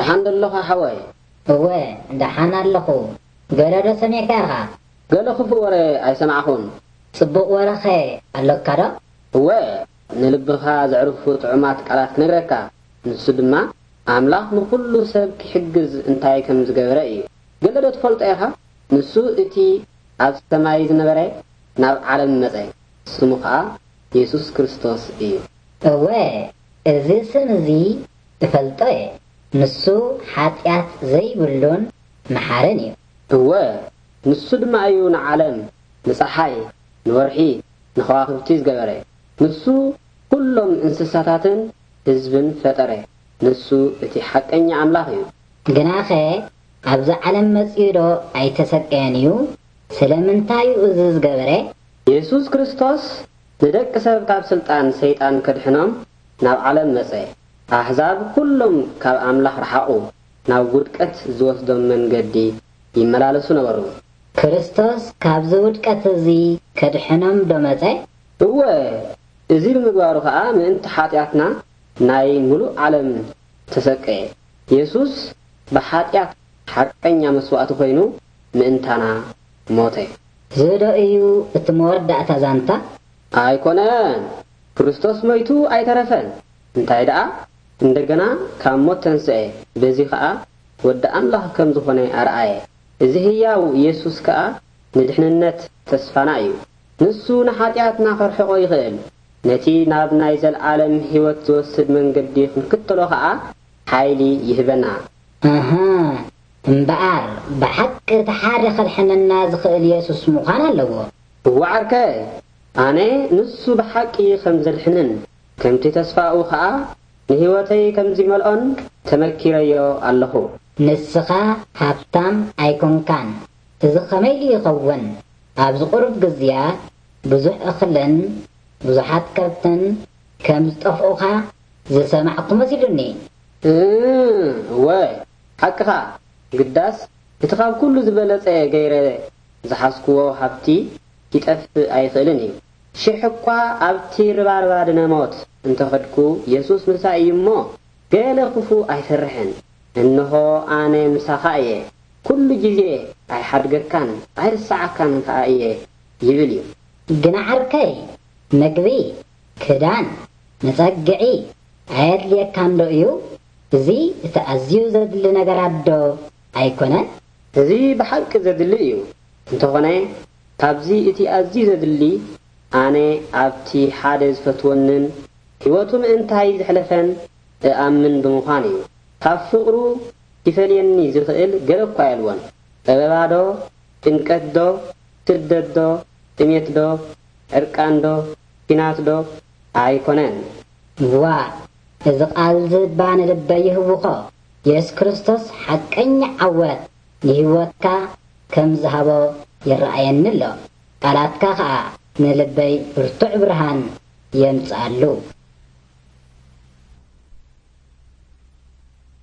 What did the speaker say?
ደሓን ዶ ኣለኻ ሓወይ? እወ፣ ደሓን ኣለኹ። ገለ ዶ ሰሚዕካ ኢኻ? ገለ ክፉእ ወረ ኣይሰማዕኹን። ጽቡቕ ወረኸ ኣሎካ ዶ? እወ፣ ንልብኻ ዘዕርፉ ጥዑማት ቃላት ክነግረካ። ንሱ ድማ ኣምላኽ ንኹሉ ሰብ ክሕግዝ እንታይ ከም ዝገበረ እዩ። ገለ ዶ ትፈልጦ ኢኻ? ንሱ እቲ ኣብ ሰማይ ዝነበረ ናብ ዓለም መጸ። ስሙ ኸኣ የሱስ ክርስቶስ እዩ። እወ፣ እዚ ስም እዚ እፈልጦ እየ። ንሱ ሓጢኣት ዘይብሉን መሓርን እዩ። እወ፣ ንሱ ድማ እዩ ንዓለም፣ ንጸሓይ፣ ንወርሒ፣ ንኸዋኽብቲ ዝገበረ። ንሱ ኩሎም እንስሳታትን ህዝብን ፈጠረ። ንሱ እቲ ሓቀኛ ኣምላኽ እዩ። ግናኸ ኣብዚ ዓለም መጺኡ ዶ ኣይተሰቀየን እዩ? ስለምንታይ እዩ እዚ ዝገበረ? የሱስ ክርስቶስ ንደቂ ሰብ ካብ ስልጣን ሰይጣን ከድሕኖም ናብ ዓለም መጸ። ኣህዛብ ኩሎም ካብ ኣምላኽ ረሓቑ፣ ናብ ውድቀት ዝወስዶም መንገዲ ይመላለሱ ነበሩ። ክርስቶስ ካብዚ ውድቀት እዚ ከድሕኖም ዶ መጸ? እወ፣ እዚ ብምግባሩ ኸኣ ምእንቲ ሓጢኣትና ናይ ምሉእ ዓለም ተሰቀየ። የሱስ ብሓጢኣት ሓቀኛ መስዋእቲ ኮይኑ ምእንታና ሞተ። እዚ ዶ እዩ እቲ መወዳእታ ዛንታ? ኣይኮነን። ክርስቶስ ሞይቱ ኣይተረፈን። እንታይ ደኣ? እንደገና ካብ ሞት ተንስኤ። በዚ ኸኣ ወዲ ኣምላኽ ከም ዝኾነ ኣርኣየ። እዚ ህያው የሱስ ከኣ ንድሕንነት ተስፋና እዩ። ንሱ ንሓጢኣትና ከርሕቖ ይኽእል። ነቲ ናብ ናይ ዘልዓለም ህይወት ዝወስድ መንገዲ ክንክተሎ ኸኣ ሓይሊ ይህበና። ኣሃ፣ እምበኣር ብሓቂ እቲ ሓደ ከድሕነና ዝኽእል የሱስ ምዃን ኣለዎ። እወ ዓርከይ፣ ኣነ ንሱ ብሓቂ ከም ዘድሕንን ከምቲ ተስፋኡ ኸኣ ንህይወተይ ከም ዝመልኦን ተመኪረዮ ኣለኹ። ንስኻ ሃብታም ኣይኮንካን። እዚ ኸመይ ኢሉ ይኸውን? ኣብዚ ቁሩብ ግዝያት ብዙሕ እኽልን ብዙሓት ከብትን ከም ዝጠፍኡኻ ዝሰማዕኩ መሲሉኒ። እ፣ እወ፣ ሓቅኻ። ግዳስ እቲ ካብ ኩሉ ዝበለጸ ገይረ ዝሓዝክዎ ሃብቲ ኪጠፍእ ኣይኽእልን እዩ። ሽሕ እኳ ኣብቲ ርባርባ ድነ ሞት እንተኸድኩ፣ የሱስ ምሳይ እዩ እሞ፣ ገለ ክፉእ ኣይፈርሕን። እንሆ፣ ኣነ ምሳኻ እየ፣ ኩሉ ግዜ ኣይሓድገካን ኣይርስዓካን ከኣ እየ ይብል እዩ። ግና ዓርከይ፣ ምግቢ፣ ክዳን፣ መጸግዒ ኣየድልየካን ዶ እዩ? እዚ እቲ ኣዝዩ ዘድሊ ነገራት ዶ ኣይኮነን? እዚ ብሓቂ ዘድሊ እዩ። እንተኾነ፣ ካብዚ እቲ ኣዝዩ ዘድሊ፣ ኣነ ኣብቲ ሓደ ዝፈትወንን ህይወቱ ምእንታይ ዘሕለፈን እኣምን ብምዃን እዩ። ካብ ፍቕሩ ኪፈልየኒ ዝኽእል ገለ እኳ የልቦን። ጸበባ ዶ፣ ጭንቀት ዶ፣ ስደት ዶ፣ ጥሜት ዶ፣ ዕርቃን ዶ፣ ኲናት ዶ ኣይኮነን። ዋእ፣ እዚ ቃል እዚ እባ ንልበይ ይህውኾ። የሱስ ክርስቶስ ሓቀኛ ዓወት ንህይወትካ ከም ዝሃቦ ይረኣየኒ ኣሎ። ቃላትካ ኸኣ ንልበይ ብርቱዕ ብርሃን የምጽኣሉ።